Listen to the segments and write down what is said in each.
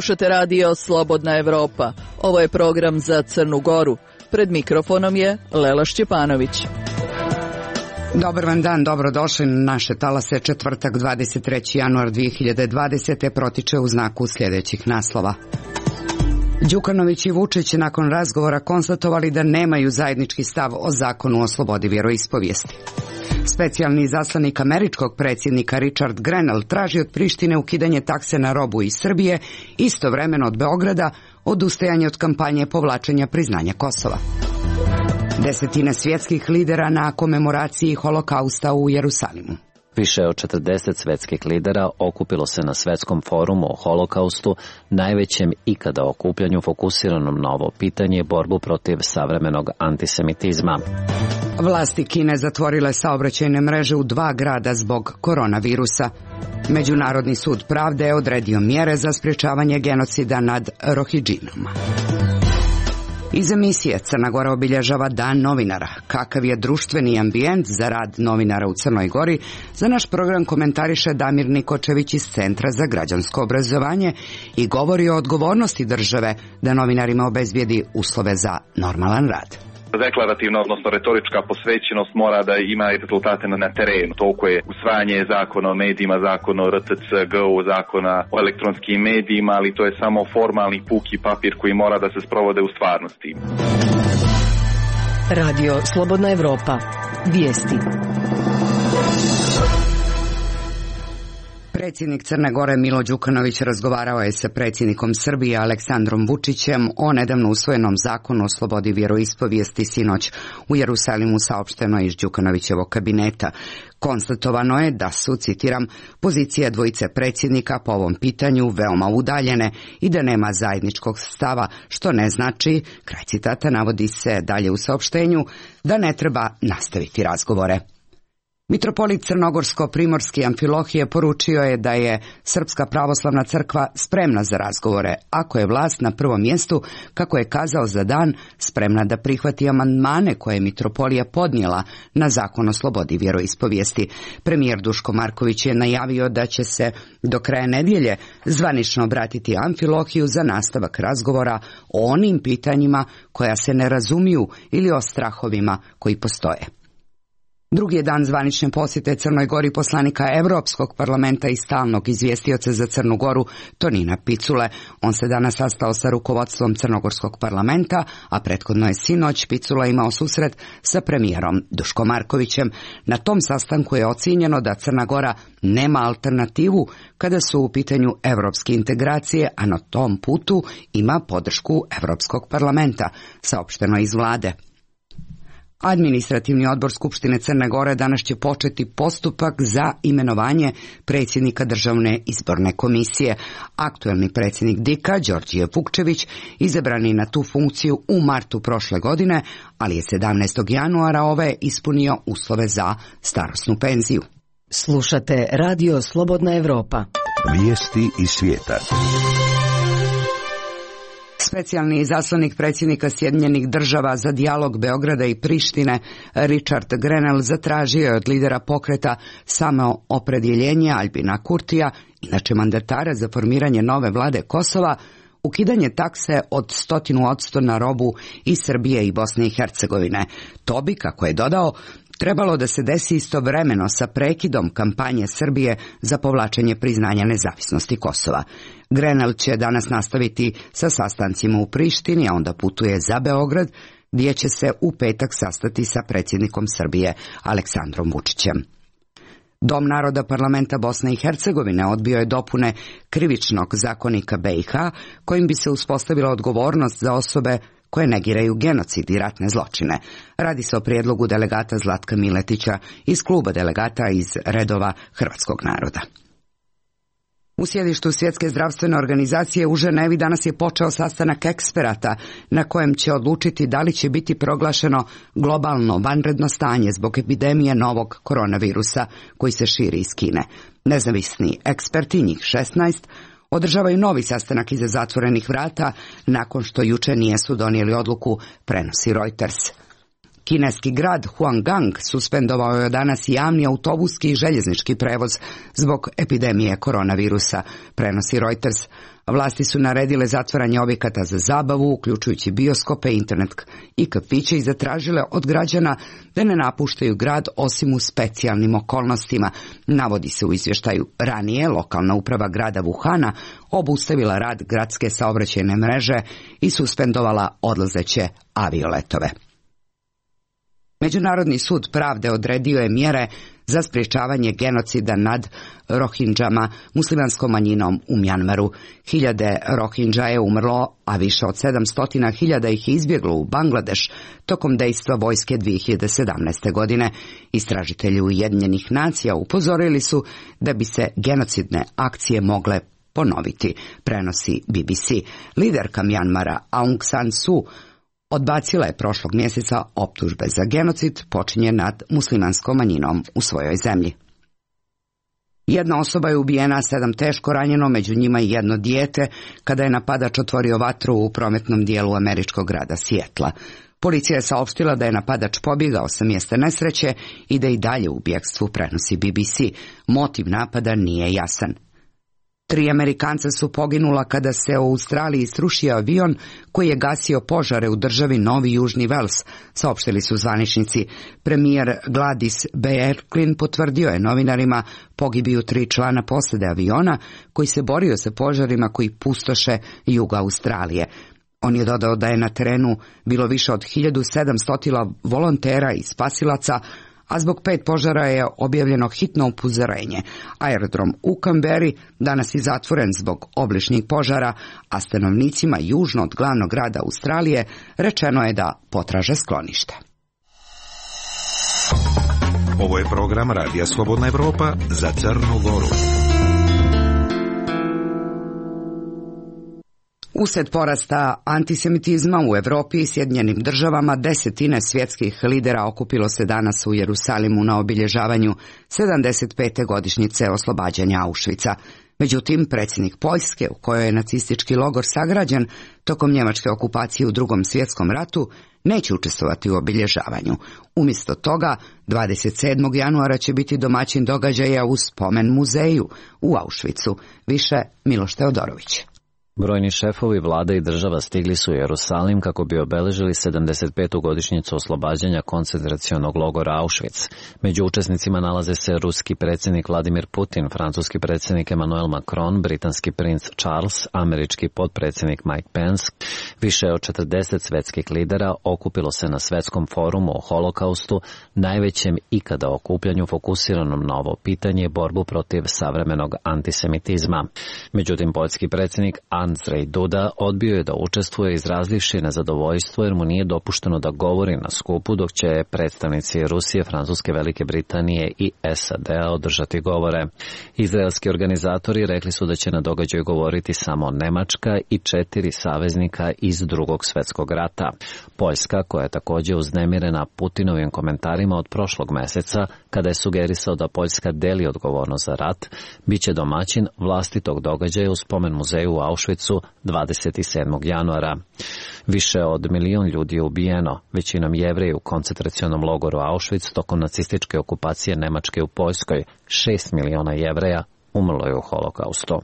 Slušate radio Slobodna Evropa. Ovo je program za Crnu Goru. Pred mikrofonom je Lela Šćepanović. Dobar vam dan, dobrodošli na naše talase. Četvrtak, 23. januar 2020. protiče u znaku sljedećih naslova. Đukanović i Vučić nakon razgovora konstatovali da nemaju zajednički stav o zakonu o slobodi vjeroispovijesti. Specijalni izaslanik američkog predsjednika Richard Grenell traži od Prištine ukidanje takse na robu iz Srbije, istovremeno od Beograda odustajanje od kampanje povlačenja priznanja Kosova. Desetine svjetskih lidera na komemoraciji holokausta u Jerusalimu. Više od 40 svjetskih lidera okupilo se na svjetskom forumu o holokaustu, najvećem ikada okupljanju fokusiranom na ovo pitanje i borbu protiv savremenog antisemitizma. Vlasti Kine zatvorile saobraćajne mreže u 2 grada zbog koronavirusa. Međunarodni sud pravde je odredio mjere za sprječavanje genocida nad Rohidžinama. Iz emisije Crna Gora obilježava Dan novinara. Kakav je društveni ambijent za rad novinara u Crnoj Gori, za naš program komentariše Damir Nikočević iz Centra za građansko obrazovanje i govori o odgovornosti države da novinarima obezbijedi uslove za normalan rad. Deklarativna, odnosno retorička posvećenost mora da ima i rezultate na terenu. Toliko je usvajanje zakona o medijima, zakona o RTCG-u, zakona o elektronskim medijima, ali to je samo formalni puki papir koji mora da se sprovode u stvarnosti. Radio Slobodna Evropa. Vijesti. Predsjednik Crne Gore Milo Đukanović razgovarao je sa predsjednikom Srbije Aleksandrom Vučićem o nedavno usvojenom zakonu o slobodi vjeroispovijesti. Sinoć u Jerusalimu saopšteno iz Đukanovićevog kabineta. Konstatovano je da su, citiram, pozicije dvojice predsjednika po ovom pitanju veoma udaljene i da nema zajedničkog stava, što ne znači, kraj citata, navodi se dalje u saopštenju, da ne treba nastaviti razgovore. Mitropolit Crnogorsko-primorski Amfilohije poručio je da je Srpska pravoslavna crkva spremna za razgovore, ako je vlast na prvom mjestu, kako je kazao za dan, spremna da prihvati amandmane koje je mitropolija podnijela na zakon o slobodi vjeroispovijesti. Premijer Duško Marković je najavio da će se do kraja nedjelje zvanično obratiti Amfilohiju za nastavak razgovora o onim pitanjima koja se ne razumiju ili o strahovima koji postoje. Drugi je dan zvanične posjete Crnoj Gori poslanika Europskog parlamenta i stalnog izvjestioca za Crnu Goru Tonina Picule. On se danas sastao sa rukovodstvom Crnogorskog parlamenta, a prethodno je sinoć Picula imao susret sa premijerom Duško Markovićem. Na tom sastanku je ocijenjeno da Crna Gora nema alternativu kada su u pitanju europske integracije, a na tom putu ima podršku Europskog parlamenta, saopšteno iz vlade. Administrativni odbor Skupštine Crne Gore danas će početi postupak za imenovanje predsjednika Državne izborne komisije. Aktuelni predsjednik DIK-a, Đorđije Vukčević, izabran je na tu funkciju u martu prošle godine, ali je 17. januara ove ispunio uslove za starosnu penziju. Slušate radio Slobodna Evropa. Vijesti iz svijeta. Specijalni izaslanik predsjednika Sjedinjenih država za dijalog Beograda i Prištine Richard Grenell zatražio je od lidera pokreta Samoopredjeljenje Albina Kurtija, inače mandatara za formiranje nove vlade Kosova, ukidanje takse od 100% na robu iz Srbije i Bosne i Hercegovine. To bi, kako je dodao, trebalo da se desi istovremeno sa prekidom kampanje Srbije za povlačenje priznanja nezavisnosti Kosova. Grenell će danas nastaviti sa sastancima u Prištini, a onda putuje za Beograd, gdje će se u petak sastati sa predsjednikom Srbije Aleksandrom Vučićem. Dom naroda parlamenta Bosne i Hercegovine odbio je dopune krivičnog zakonika BiH, kojim bi se uspostavila odgovornost za osobe koje negiraju genocid i ratne zločine. Radi se o prijedlogu delegata Zlatka Miletića iz kluba delegata iz redova hrvatskog naroda. U sjedištu Svjetske zdravstvene organizacije u Ženevi danas je počeo sastanak eksperata na kojem će odlučiti da li će biti proglašeno globalno vanredno stanje zbog epidemije novog koronavirusa koji se širi iz Kine. Nezavisni eksperti, njih 16, održavaju novi sastanak iza zatvorenih vrata nakon što juče nisu donijeli odluku, prenosi Reuters. Kineski grad Huanggang suspendovao je danas javni autobuski i željeznički prevoz zbog epidemije koronavirusa, prenosi Reuters. Vlasti su naredile zatvaranje objekata za zabavu, uključujući bioskope, internet i kafiće, i zatražile od građana da ne napuštaju grad osim u specijalnim okolnostima, navodi se u izvještaju. Ranije lokalna uprava grada Wuhana obustavila rad gradske saobraćajne mreže i suspendovala odlazeće avioletove. Međunarodni sud pravde odredio je mjere za sprječavanje genocida nad Rohinđama, muslimanskom manjinom u Mjanmaru. Hiljade Rohinđa je umrlo, a više od 700.000 ih izbjeglo u Bangladeš tokom dejstva vojske 2017. godine. Istražitelji Ujedinjenih nacija upozorili su da bi se genocidne akcije mogle ponoviti, prenosi BBC. Liderka Mjanmara Aung San Suu odbacila je prošlog mjeseca optužbe za genocid počinjen nad muslimanskom manjinom u svojoj zemlji. Jedna osoba je ubijena, 7 teško ranjeno, među njima i jedno dijete, kada je napadač otvorio vatru u prometnom dijelu američkog grada Sijetla. Policija je saopštila da je napadač pobjegao sa mjesta nesreće i da i dalje u bjegstvu, prenosi BBC. Motiv napada nije jasan. 3 Amerikanca su poginula kada se u Australiji srušio avion koji je gasio požare u državi Novi Južni Vels, saopštili su zvaničnici. Premijer Gladys Berejiklian potvrdio je novinarima pogibiju 3 člana posade aviona koji se borio sa požarima koji pustoše jug Australije. On je dodao da je na terenu bilo više od 1700 volontera i spasilaca, a zbog 5 požara je objavljeno hitno upozorenje. Aerodrom u Canberri danas je zatvoren zbog obližnjih požara, a stanovnicima južno od glavnog grada Australije rečeno je da potraže sklonište. Ovo je program Radija Slobodna Evropa za Crnu Goru. Usred porasta antisemitizma u Europi i Sjedinjenim državama, 10 svjetskih lidera okupilo se danas u Jerusalimu na obilježavanju 75. godišnjice oslobađanja Auschwitza. Međutim, predsjednik Poljske, u kojoj je nacistički logor sagrađen tokom njemačke okupacije u Drugom svjetskom ratu, neće učestvovati u obilježavanju. Umjesto toga, 27. januara će biti domaćin događaja u spomen muzeju u Auschwitzu. Više Miloš Teodorović. Brojni šefovi vlada i država stigli su u Jerusalim kako bi obeležili 75. godišnjicu oslobađanja koncentracionog logora Auschwitz. Među učesnicima nalaze se ruski predsjednik Vladimir Putin, francuski predsjednik Emmanuel Macron, britanski princ Charles, američki potpredsjednik Mike Pence. Više od 40 svjetskih lidera okupilo se na svjetskom forumu o holokaustu, najvećem ikada okupljanju fokusiranom na ovo pitanje, borbu protiv savremenog antisemitizma. Međutim, poljski predsjednik Andrzej Duda odbio je da učestvuje, izrazivši nezadovoljstvo jer mu nije dopušteno da govori na skupu, dok će predstavnici Rusije, Francuske, Velike Britanije i SAD-a održati govore. Izraelski organizatori rekli su da će na događaju govoriti samo Nemačka i 4 saveznika iz Drugog svjetskog rata. Poljska, koja je također uznemirena Putinovim komentarima od prošlog mjeseca, kada je sugerisao da Poljska deli odgovornost za rat, bit će domaćin vlastitog događaja u spomen muzeju u Auschwitzu 27. januara. Više od 1 milion ljudi je ubijeno, većinom Jevreji u koncentracionom logoru Auschwitz tokom nacističke okupacije Nemačke u Poljskoj. 6 miliona Jevreja umrlo je u holokaustu.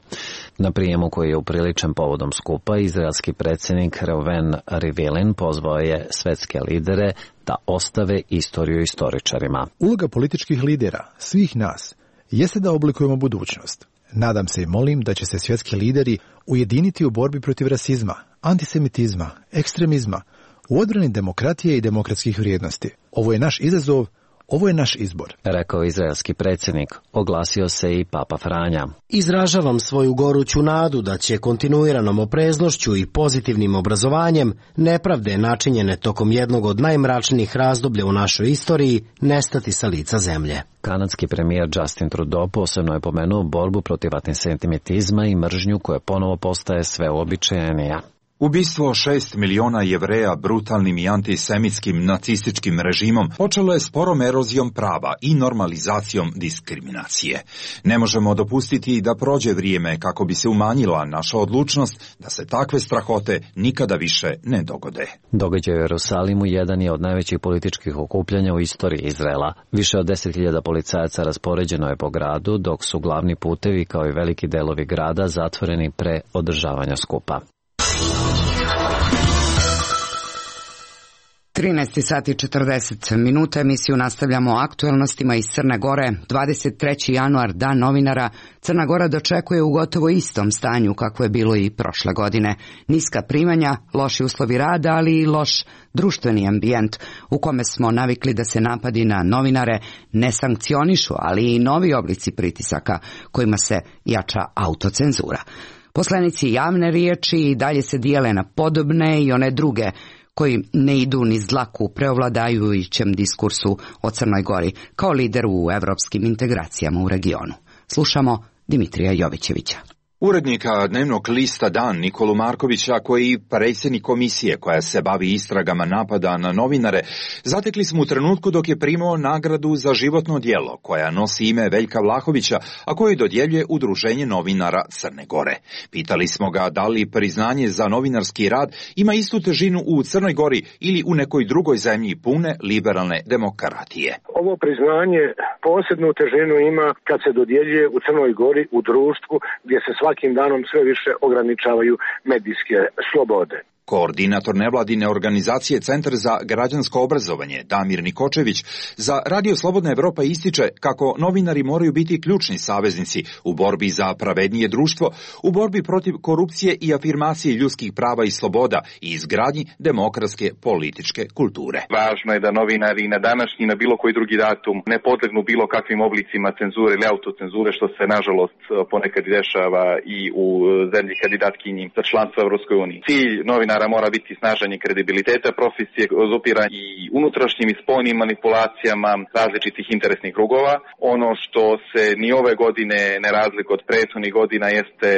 Na prijemu koji je upriličen povodom skupa, izraelski predsjednik Reuven Rivlin pozvao je svjetske lidere da ostave istoriju istoričarima. Uloga političkih lidera, svih nas, jeste da oblikujemo budućnost. Nadam se i molim da će se svjetski lideri ujediniti u borbi protiv rasizma, antisemitizma, ekstremizma, u odbrani demokratije i demokratskih vrijednosti. Ovo je naš izazov, ovo je naš izbor, rekao izraelski predsjednik. Oglasio se i Papa Franja. Izražavam svoju goruću nadu da će kontinuiranom opreznošću i pozitivnim obrazovanjem nepravde načinjene tokom jednog od najmračnijih razdoblja u našoj istoriji nestati sa lica zemlje. Kanadski premijer Justin Trudeau posebno je pomenuo borbu protiv antisemitizma i mržnju koja ponovo postaje sve uobičajenija. Ubistvo 6 miliona Jevreja brutalnim i antisemitskim nacističkim režimom počelo je sporom erozijom prava i normalizacijom diskriminacije. Ne možemo dopustiti da prođe vrijeme kako bi se umanjila naša odlučnost da se takve strahote nikada više ne dogode. Događaj u Jerusalimu jedan je od najvećih političkih okupljanja u istoriji Izraela. Više od 10.000 policajaca raspoređeno je po gradu, dok su glavni putevi kao i veliki delovi grada zatvoreni pre održavanja skupa. 13 sati 40 minuta, emisiju nastavljamo aktuelnostima iz Crne Gore. 23. januar, dan novinara, Crna Gora dočekuje u gotovo istom stanju kako je bilo i prošle godine. Niska primanja, loši uslovi rada, ali i loš društveni ambijent u kome smo navikli da se napadi na novinare ne sankcionišu, ali i novi oblici pritisaka kojima se jača autocenzura. Poslanici javne riječi i dalje se dijele na podobne i one druge koji ne idu niz dlaku preovladajućem diskursu o Crnoj Gori kao lider u evropskim integracijama u regionu. Slušamo Dimitrija Jovićevića. Urednika dnevnog lista Dan Nikolu Markovića, koji je predsjednik komisije koja se bavi istragama napada na novinare, zatekli smo u trenutku dok je primao nagradu za životno djelo koja nosi ime Veljka Vlahovića, a koju dodjeljuje Udruženje novinara Crne Gore. Pitali smo ga da li priznanje za novinarski rad ima istu težinu u Crnoj Gori ili u nekoj drugoj zemlji pune liberalne demokratije. Ovo priznanje posebnu težinu ima kad se dodjeljuje u Crnoj Gori u društvu gdje se svakim danom sve više ograničavaju medijske slobode. Koordinator nevladine organizacije Centar za građansko obrazovanje Damir Nikočević za Radio Slobodna Evropa ističe kako novinari moraju biti ključni saveznici u borbi za pravednije društvo, u borbi protiv korupcije i afirmacije ljudskih prava i sloboda i izgradnji demokratske političke kulture. Važno je da novinari na današnji i na bilo koji drugi datum ne podlegnu bilo kakvim oblicima cenzure ili autocenzure, što se nažalost ponekad dešava i u zemlji kandidatkinji za članstvo u Evropskoj uniji. Cilj novinara mora biti snažanje kredibiliteta profesije, opira i unutrašnjim i spoljnim manipulacijama različitih interesnih krugova. Ono što se ni ove godine ne razlikuje od prethodnih godina jeste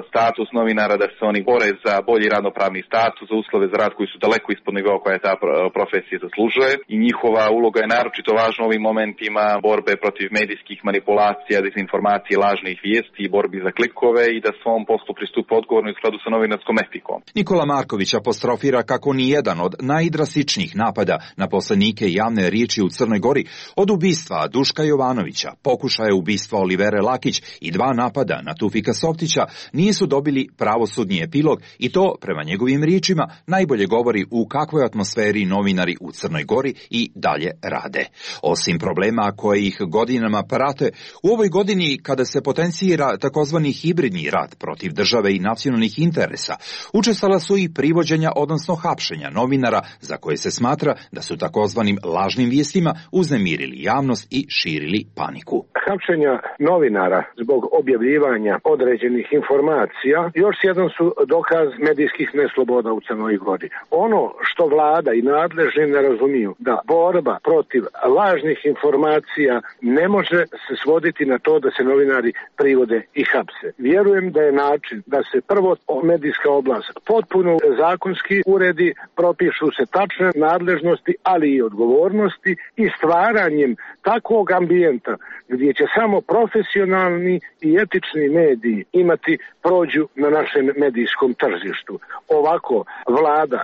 status novinara, da se oni bore za bolji radnopravni status, za uslove za rad koji su daleko ispod nivoa koja ta profesija zaslužuje i njihova uloga je naročito važna u ovim momentima borbe protiv medijskih manipulacija, dezinformacije, lažnih vijesti i borbi za klikove i da svom poslu pristupa odgovorno u skladu sa novinarskom etikom. Nikola Marković apostrofira kako ni jedan od najdrastičnijih napada na poslanike javne riječi u Crnoj Gori, od ubistva Duška Jovanovića, pokušaja ubistva Olivere Lakić i 2 napada na Tufika Softića, nisu dobili pravosudni epilog i to, prema njegovim riječima, najbolje govori u kakvoj atmosferi novinari u Crnoj Gori i dalje rade. Osim problema koje ih godinama prate, u ovoj godini kada se potencira takozvani hibridni rat protiv države i nacionalnih interesa, učestala su i privođenja, odnosno hapšenja novinara za koje se smatra da su takozvanim lažnim vijestima uznemirili javnost i širili paniku. Hapšenja novinara zbog objavljivanja određenih informacija još jedan su dokaz medijskih nesloboda u Crnoj Gori. Ono što vlada i nadležni ne razumiju, da borba protiv lažnih informacija ne može se svoditi na to da se novinari privode i hapse. Vjerujem da je način da se prvo medijska oblast potpuno zakonski uredi, propišu se tačne nadležnosti, ali i odgovornosti i stvaranjem takvog ambijenta gdje će samo profesionalni i etični mediji imati prođu na našem medijskom tržištu. Ovako vlada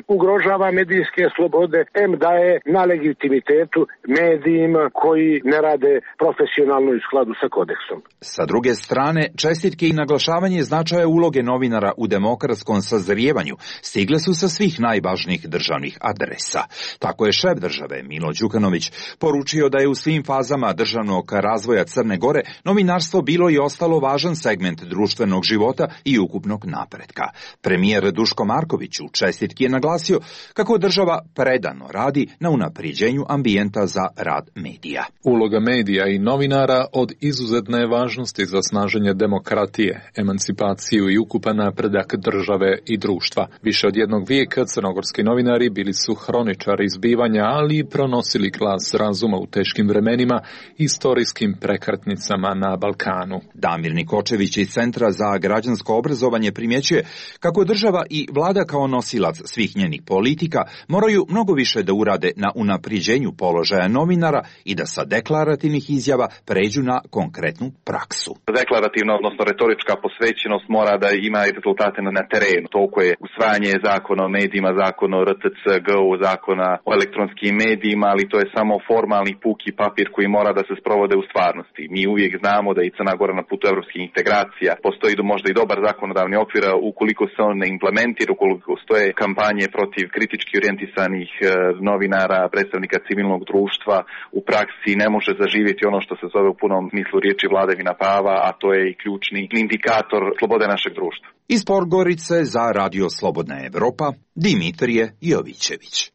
ugrožava medijske slobode, daje na legitimitetu medijima koji ne rade profesionalno u skladu sa kodeksom. Sa druge strane, čestitke i naglašavanje značaja uloge novinara u demokratskom sazrijevanju stigle su sa svih najvažnijih državnih adresa. Tako je šef države Milo Đukanović poručio da je u svim fazama državnog razvoja Crne Gore novinarstvo bilo i ostalo važan segment društvenog života i ukupnog napretka. Premijer Duško Marković u čestitki je naglasio kako država predano radi na unaprijeđenju ambijenta za rad medija. Uloga medija i novinara od izuzetne je važnosti za snaženje demokratije, emancipaciju i ukupan napredak države i društva. Više od jednog vijeka crnogorski novinari bili su hroničari zbivanja, ali i pronosili glas razuma u teškim vremenima i istorijskim prekretnicama na Balkanu. Damir Nikočević iz Centra za građansko obrazovanje primjećuje kako država i vlada kao nosilac svih njenih politika moraju mnogo više da urade na unapriđenju položaja novinara i da sa deklarativnih izjava pređu na konkretnu praksu. Deklarativna, odnosno retorička posvećenost mora da ima i rezultate na terenu. Toliko je usvajanje zakona o medijima, zakona o RTC, GO, zakona o elektronskim medijima, ali to je samo formalni puki papir koji mora da se sprovode u stvarnosti. Mi uvijek znamo da i Crna Gora na putu evropskih integracija. Postoji možda i dobar zakonodavni okvir, ukoliko se on ne implementira, ukoliko stoje kampanje protiv kritički orijentisanih novinara, predstavnika civilnog društva, u praksi ne može zaživjeti ono što se zove u punom smislu riječi vladavina prava, a to je i ključni indikator slobode našeg društva. Iz Podgorice za Radio Slobodna Evropa, Dimitrije Jovićević.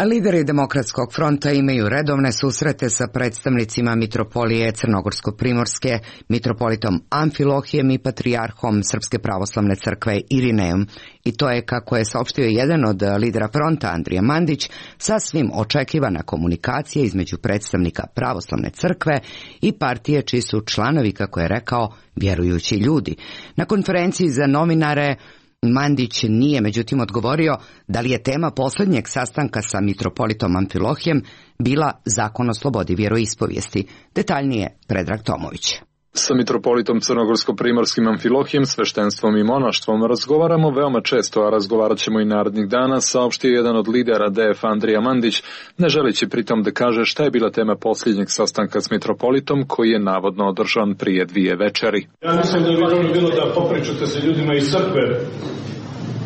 Lideri Demokratskog fronta imaju redovne susrete sa predstavnicima Mitropolije Crnogorsko-Primorske, mitropolitom Amfilohijem i patrijarhom Srpske pravoslavne crkve Irinejom. I to je, kako je saopštio jedan od lidera fronta, Andrija Mandić, sasvim očekivana komunikacija između predstavnika pravoslavne crkve i partije čiji su članovi, kako je rekao, vjerujući ljudi. Na konferenciji za novinare Mandić nije međutim odgovorio da li je tema posljednjeg sastanka sa mitropolitom Amfilohijem bila zakon o slobodi vjeroispovijesti. Detaljnije Predrag Tomović. Sa mitropolitom Crnogorsko-Primorskim Amfilohijem, sveštenstvom i monaštvom razgovaramo veoma često, a razgovarat ćemo i narednih dana, saopštio jedan od lidera DF Andrija Mandić, ne želeći pritom da kaže šta je bila tema posljednjeg sastanka s mitropolitom koji je navodno održan prije 2 večeri. Ja mislim da bi dobro bilo da popričate sa ljudima iz crkve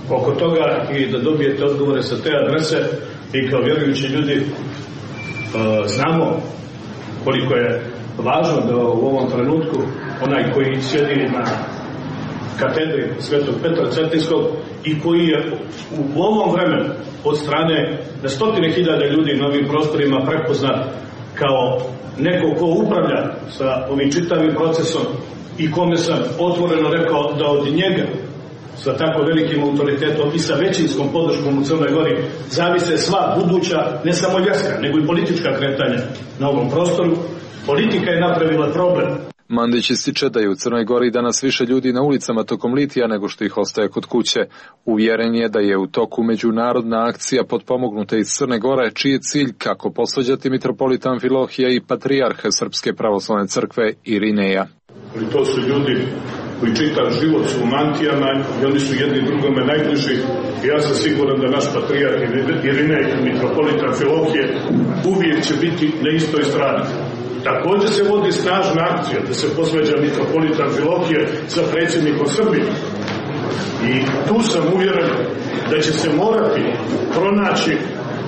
oko toga i da dobijete odgovore sa te adrese i kao vjerujući ljudi znamo koliko je važno da u ovom trenutku onaj koji sjedi na katedri Svetog Petra Cetinskog i koji je u ovom vremenu od strane na stotine hiljada ljudi na ovim prostorima prepoznat kao neko ko upravlja sa ovim čitavim procesom i kome sam otvoreno rekao da od njega sa tako velikim autoritetom i sa većinskom podrškom u Crnoj Gori zavise sva buduća, ne samo vjerska, nego i politička kretanja na ovom prostoru. Politika je napravila problem. Mandić ističe da je u Crnoj Gori danas više ljudi na ulicama tokom litija nego što ih ostaje kod kuće. Uvjeren je da je u toku međunarodna akcija potpomognuta iz Crne Gore, čiji je cilj kako posvađati mitropolita Amfilohija i patrijarha Srpske pravoslavne crkve Irineja. Ali to su ljudi koji čitav život su u mantijama i oni su jedni drugome najbliži. I ja sam siguran da naš patrijarh Irinej i mitropolita Amfilohije uvijek će biti na istoj strani. Također se vodi snažna akcija da se posvađa mitropolita Amfilohije sa predsjednikom Srbije. I tu sam uvjeren da će se morati pronaći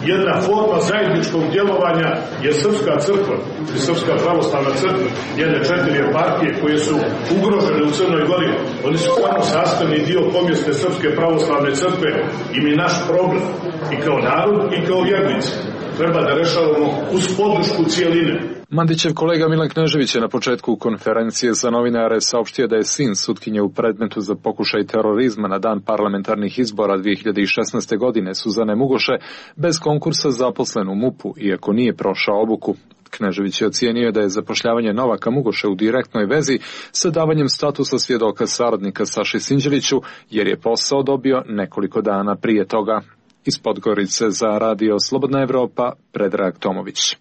jedna forma zajedničkog djelovanja, jer Srpska crkva i Srpska pravoslavna crkva, jedne 4 partije koje su ugrožene u Crnoj Gori, oni su samo sastavni dio pomjesne Srpske pravoslavne crkve i mi naš problem i kao narod i kao vjernici treba da rešavamo uz podršku cijeline. Mandićev kolega Milan Knežević je na početku konferencije za novinare saopštio da je sin sutkinje u predmetu za pokušaj terorizma na dan parlamentarnih izbora 2016. godine Suzane Mugoše bez konkursa zaposlen u MUP-u, iako nije prošao obuku. Knežević je ocijenio da je zapošljavanje Novaka Mugoše u direktnoj vezi sa davanjem statusa svjedoka saradnika Saši Sinđeliću, jer je posao dobio nekoliko dana prije toga. Iz Podgorice za Radio Slobodna Evropa, Predrag Tomović.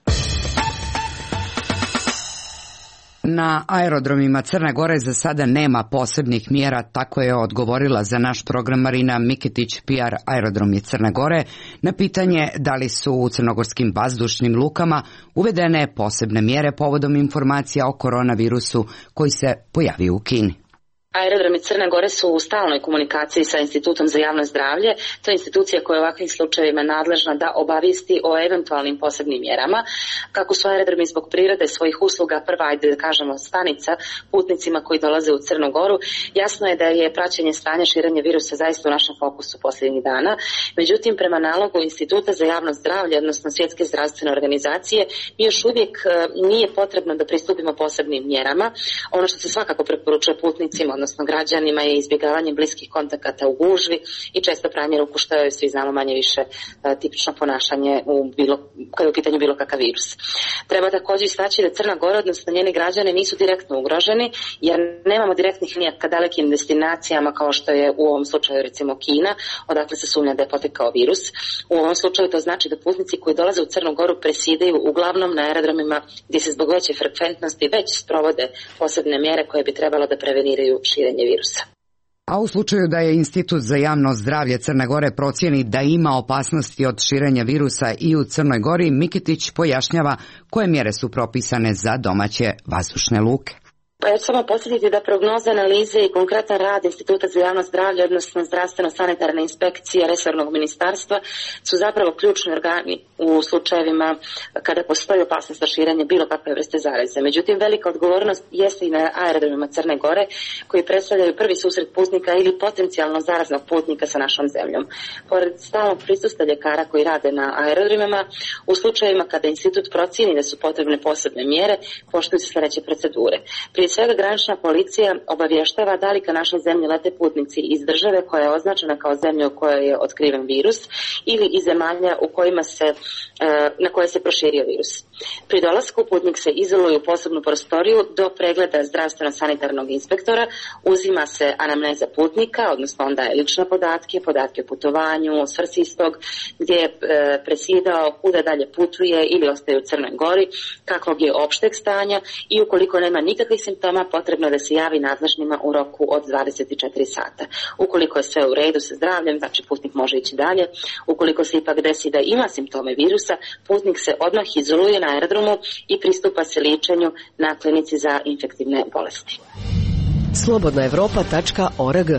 Na aerodromima Crne Gore za sada nema posebnih mjera, tako je odgovorila za naš program Marina Miketić, PR Aerodromi Crne Gore, na pitanje da li su u crnogorskim vazdušnim lukama uvedene posebne mjere povodom informacija o koronavirusu koji se pojavio u Kini. Aerodromi Crne Gore su u stalnoj komunikaciji sa Institutom za javno zdravlje. To je institucija koja je u ovakvim slučajevima nadležna da obavijesti o eventualnim posebnim mjerama. Kako su aerodromi zbog prirode svojih usluga prva, ajde da kažemo, stanica putnicima koji dolaze u Crnu Goru, jasno je da je praćenje stanja širenja virusa zaista u našem fokusu posljednjih dana. Međutim, prema nalogu Instituta za javno zdravlje, odnosno Svjetske zdravstvene organizacije, mi još uvijek nije potrebno da pristupimo posebnim mjerama. Ono što se svakako preporučuje putnicima, odnosno odnosno građanima, je izbjegavanje bliskih kontakata u gužvi i često pranje ruku, što je, svi znamo, manje više tipično ponašanje kada je u pitanju bilo kakav virus. Treba također istaći da Crna Gora, odnosno njeni građani, nisu direktno ugroženi, jer nemamo direktnih linija ka dalekim destinacijama kao što je u ovom slučaju recimo Kina, odakle se sumnja da je potekao virus. U ovom slučaju to znači da putnici koji dolaze u Crnu Goru presjedaju uglavnom na aerodromima gdje se zbog veće frekventnosti već sprovode posebne mjere koje bi trebalo da preveniraju širenje virusa. A u slučaju da je Institut za javno zdravlje Crne Gore procijeni da ima opasnosti od širenja virusa i u Crnoj Gori, Mikitić pojašnjava koje mjere su propisane za domaće vazdušne luke. Pa ja ću samo podsjetiti da prognoze, analize i konkretan rad Instituta za javno zdravlje, odnosno zdravstveno-sanitarne inspekcije resornog ministarstva, su zapravo ključni organi u slučajevima kada postoji opasnost za širenje bilo kakve vrste zaraze. Međutim, velika odgovornost jeste i na aerodromima Crne Gore, koji predstavljaju prvi susret putnika ili potencijalno zaraznog putnika sa našom zemljom. Pored stalnog prisustva ljekara koji rade na aerodromima, u slučajevima kada institut procijeni da su potrebne posebne mjere, poštuju se sljedeće procedure. Prije svega, granična policija obavještava da li ka našoj zemlji lete putnici iz države koja je označena kao zemlja u kojoj je otkriven virus ili iz zemalja u kojima na koje se proširio virus. Pri dolasku putnik se izoluje u posebnu prostoriju do pregleda zdravstveno-sanitarnog inspektora, uzima se anamneza putnika, odnosno on daje lične podatke o putovanju, svrsi istog, gdje je presjedao, kuda dalje putuje ili ostaje u Crnoj Gori, kakvog je opšteg stanja i ukoliko nema nikakvih simptoma, potrebno da se javi nadležnima u roku od 24 sata. Ukoliko je sve u redu sa zdravljem, znači putnik može ići dalje. Ukoliko se ipak desi da ima simptome virusa, putnik se odmah izoluje na aerodromu i pristupa se liječenju na klinici za infektivne bolesti. slobodnaevropa.org.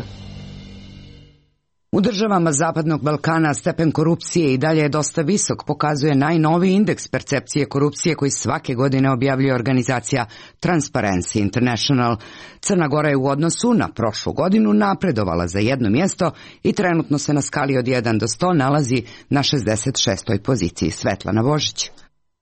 U državama Zapadnog Balkana stepen korupcije i dalje je dosta visok, pokazuje najnoviji indeks percepcije korupcije koji svake godine objavljuje organizacija Transparency International. Crna Gora je u odnosu na prošlu godinu napredovala za jedno mjesto i trenutno se na skali od 1 do 100 nalazi na 66. poziciji. Svetlana Božić.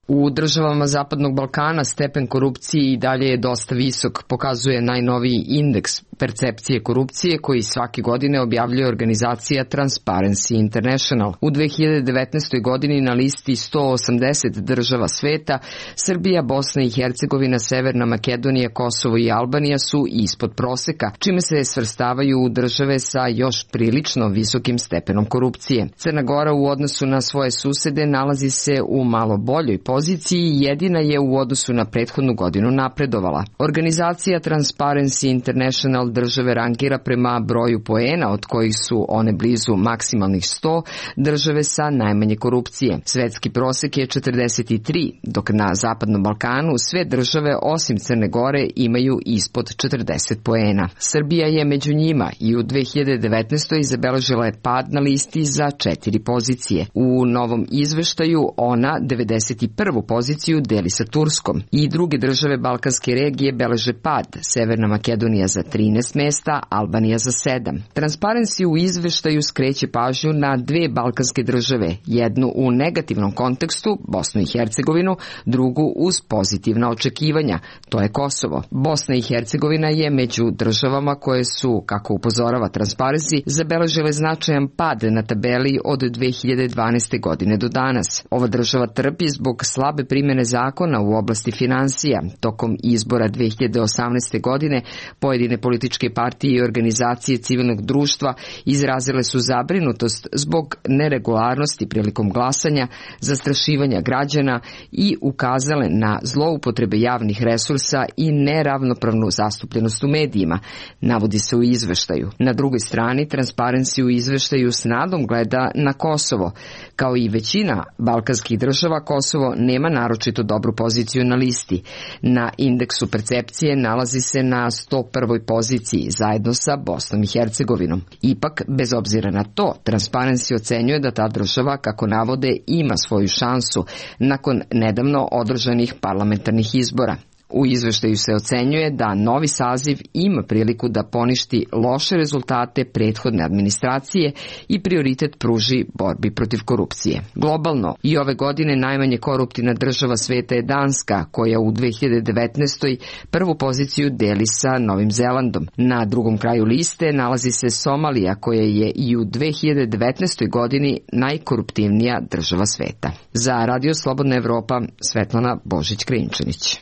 U državama Zapadnog Balkana stepen korupcije i dalje je dosta visok, pokazuje najnoviji indeks percepcije korupcije koji svake godine objavljuje organizacija Transparency International. U 2019. godini na listi 180 država sveta, Srbija, Bosna i Hercegovina, Severna Makedonija, Kosovo i Albanija su ispod proseka, čime se svrstavaju u države sa još prilično visokim stepenom korupcije. Crna Gora u odnosu na svoje susede nalazi se u malo boljoj poziciji i jedina je u odnosu na prethodnu godinu napredovala. Organizacija Transparency International države rangira prema broju poena, od kojih su one blizu maksimalnih 100, države sa najmanje korupcije. Svetski prosek je 43, dok na Zapadnom Balkanu sve države osim Crne Gore imaju ispod 40 poena. Srbija je među njima i u 2019. zabeležila je pad na listi za 4 pozicije. U novom izveštaju ona 91. poziciju deli sa Turskom i druge države balkanske regije beleže pad, Severna Makedonija za 13 mesta, Albanija za 7. Transparency u izveštaju skreće pažnju na dve balkanske države, jednu u negativnom kontekstu, Bosnu i Hercegovinu, drugu uz pozitivna očekivanja, to je Kosovo. Bosna i Hercegovina je među državama koje su, kako upozorava Transparency, zabeležile značajan pad na tabeli od 2012. godine do danas. Ova država trpi zbog slabe primjene zakona u oblasti finansija. Tokom izbora 2018. godine pojedine političke partije i organizacije civilnog društva izrazile su zabrinutost zbog neregularnosti prilikom glasanja, zastrašivanja građana i ukazale na zloupotrebe javnih resursa i neravnopravnu zastupljenost u medijima, navodi se u izveštaju. Na drugoj strani, Transparency u izveštaju s nadom gleda na Kosovo. Kao i većina balkanskih država, Kosovo nema naročito dobru poziciju na listi. Na indeksu percepcije nalazi se na 101. poziciji zajedno sa Bosnom i Hercegovinom. Ipak, bez obzira na to, Transparency ocenjuje da ta država, kako navode, ima svoju šansu nakon nedavno održanih parlamentarnih izbora. U izveštaju se ocenjuje da novi saziv ima priliku da poništi loše rezultate prethodne administracije i prioritet pruži borbi protiv korupcije. Globalno, i ove godine najmanje koruptivna država sveta je Danska, koja u 2019. prvu poziciju deli sa Novim Zelandom. Na drugom kraju liste nalazi se Somalija, koja je i u 2019. godini najkoruptivnija država sveta. Za Radio Slobodna Evropa, Svetlana Božić-Krinčanić.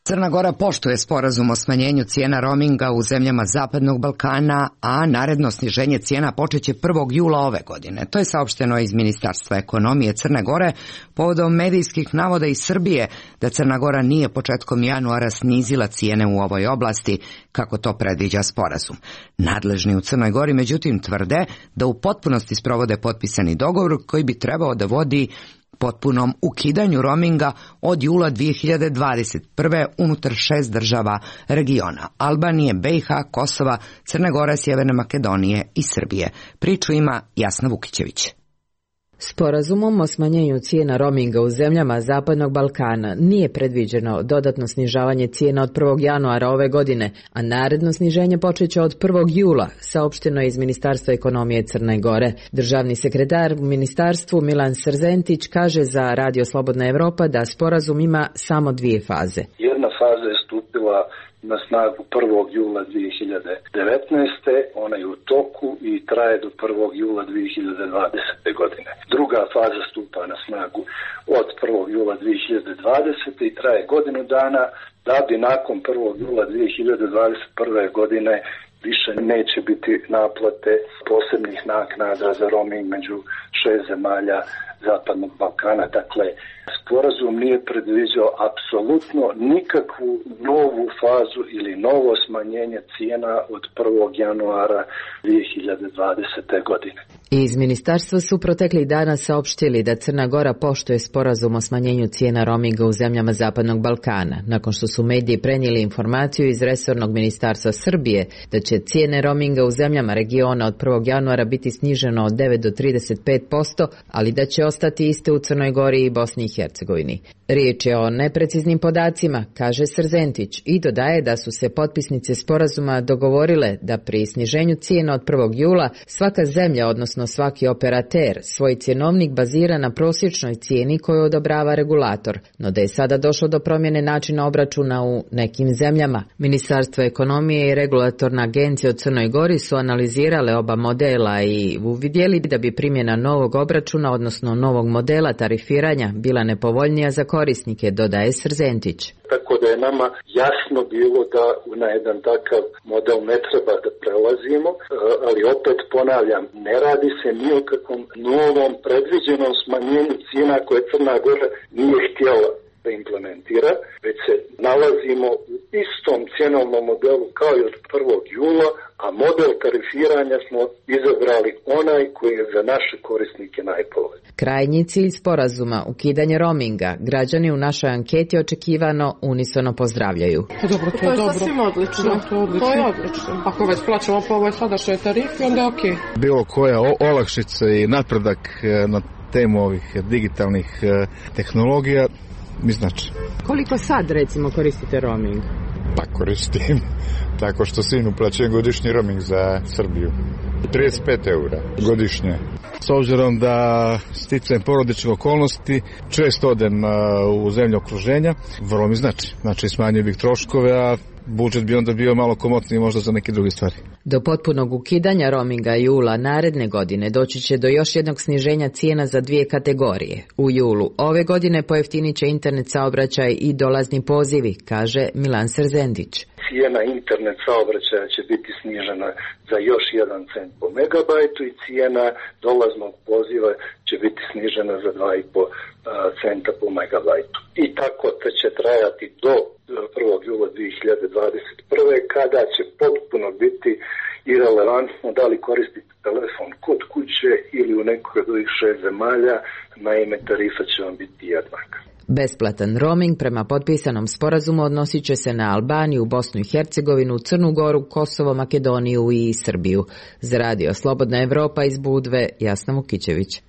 Crna Gora poštuje sporazum o smanjenju cijena roaminga u zemljama Zapadnog Balkana, a naredno sniženje cijena počeće 1. jula ove godine. To je saopšteno iz Ministarstva ekonomije Crne Gore povodom medijskih navoda iz Srbije da Crna Gora nije početkom januara snizila cijene u ovoj oblasti, kako to predviđa sporazum. Nadležni u Crnoj Gori međutim tvrde da u potpunosti sprovode potpisani dogovor koji bi trebao da vodi potpunom ukidanju roaminga od jula 2021. unutar 6 država regiona: Albanije, BiH, Kosova, Crne Gore, Sjeverne Makedonije i Srbije. Priču ima Jasna Vukićević. Sporazumom o smanjenju cijena roaminga u zemljama Zapadnog Balkana nije predviđeno dodatno snižavanje cijena od 1. januara ove godine, a naredno sniženje počeće od 1. jula, saopšteno je iz Ministarstva ekonomije Crne Gore. Državni sekretar u ministarstvu Milan Srzentić kaže za Radio Slobodna Evropa da sporazum ima samo 2 faze. Jedna faza je stupila na snagu 1. jula 2019. Ona je u toku i traje do 1. jula 2020. godine. Druga faza stupa na snagu od 1. jula 2020. i traje godinu dana, da bi nakon 1. jula 2021. godine više neće biti naplate posebnih naknada za roaming među 6 zemalja Zapadnog Balkana. Dakle, sporazum nije predviđao apsolutno nikakvu novu fazu ili novo smanjenje cijena od 1. januara 2020. godine. Iz ministarstva su proteklih dana saopštili da Crna Gora poštuje sporazum o smanjenju cijena roaminga u zemljama Zapadnog Balkana, nakon što su mediji prenijeli informaciju iz resornog ministarstva Srbije da će cijene roaminga u zemljama regiona od 1. januara biti sniženo od 9 do 35%, ali da će ostati iste u Crnoj Gori i Bosni i Hercegovini. Riječ je o nepreciznim podacima, kaže Srzentić, i dodaje da su se potpisnice sporazuma dogovorile da pri sniženju cijena od 1. jula svaka zemlja, odnosno svaki operater, svoj cjenovnik bazira na prosječnoj cijeni koju odobrava regulator, no da je sada došlo do promjene načina obračuna u nekim zemljama. Ministarstvo ekonomije i regulatorna agencija u Crnoj Gori su analizirale oba modela i uvidjeli da bi primjena novog obračuna, odnosno novog modela tarifiranja, bila nepovoljnija za korisnike, dodaje Srzentić. Tako da je nama jasno bilo da na jedan takav model ne treba da prelazimo, ali opet ponavljam, ne radi se ni o kakvom novom predviđenom smanjenju cijena koje Crna Gora nije htjela da implementira, već se nalazimo u istom cjenovnom modelu kao i od 1. jula, a model tarifiranja smo izabrali onaj koji je za naše korisnike najpovoljniji. Krajnji cilj sporazuma, ukidanje roaminga, građani u našoj anketi očekivano unisono pozdravljaju. Dobro, to je sasvim odlično. To je odlično. Ako već plaćamo po ovoj sadašnjoj tarifi, onda je okej. Bilo koja olakšica i napredak na temu ovih digitalnih tehnologija mi znači. Koliko sad recimo koristite roaming? Pa koristim tako što sinu plaćam godišnji roaming za Srbiju. 35 eura godišnje. S obzirom da sticajem porodične okolnosti često odem u zemlje okruženja, vrlo mi znači. Znači smanjio bih troškove, a budžet bi onda bio malo komotniji možda za neke druge stvari. Do potpunog ukidanja roaminga jula naredne godine doći će do još jednog sniženja cijena za 2 kategorije. U julu ove godine pojeftinit će internet saobraćaj i dolazni pozivi, kaže Milan Srzentić. Cijena internet saobraćaja će biti snižena za još 1 cent po megabajtu i cijena dolaznog poziva će biti snižena za 2,5 centa po megabajtu. I tako će trajati do 1. jula 2021. kada će potpuno biti irelevantno da li koristite telefon kod kuće ili u nekoj od ovih 6 zemalja, naime tarifa će vam biti jednaka. Besplatan roaming prema potpisanom sporazumu odnosit će se na Albaniju, Bosnu i Hercegovinu, Crnu Goru, Kosovo, Makedoniju i Srbiju. Za Radio Slobodna Evropa iz Budve, Jasna Vukićević.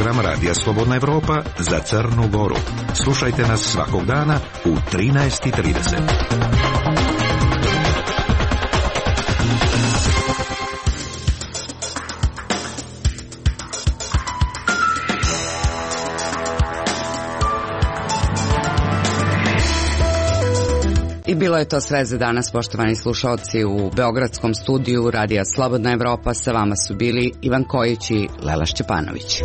program Radija Slobodna Evropa za Crnu Goru. Slušajte nas svakog dana u 13:30. I bilo je to sve za danas, poštovani slušalci. U beogradskom studiju Radija Slobodna Evropa sa vama su bili Ivan Kojić i Lela Šćepanović.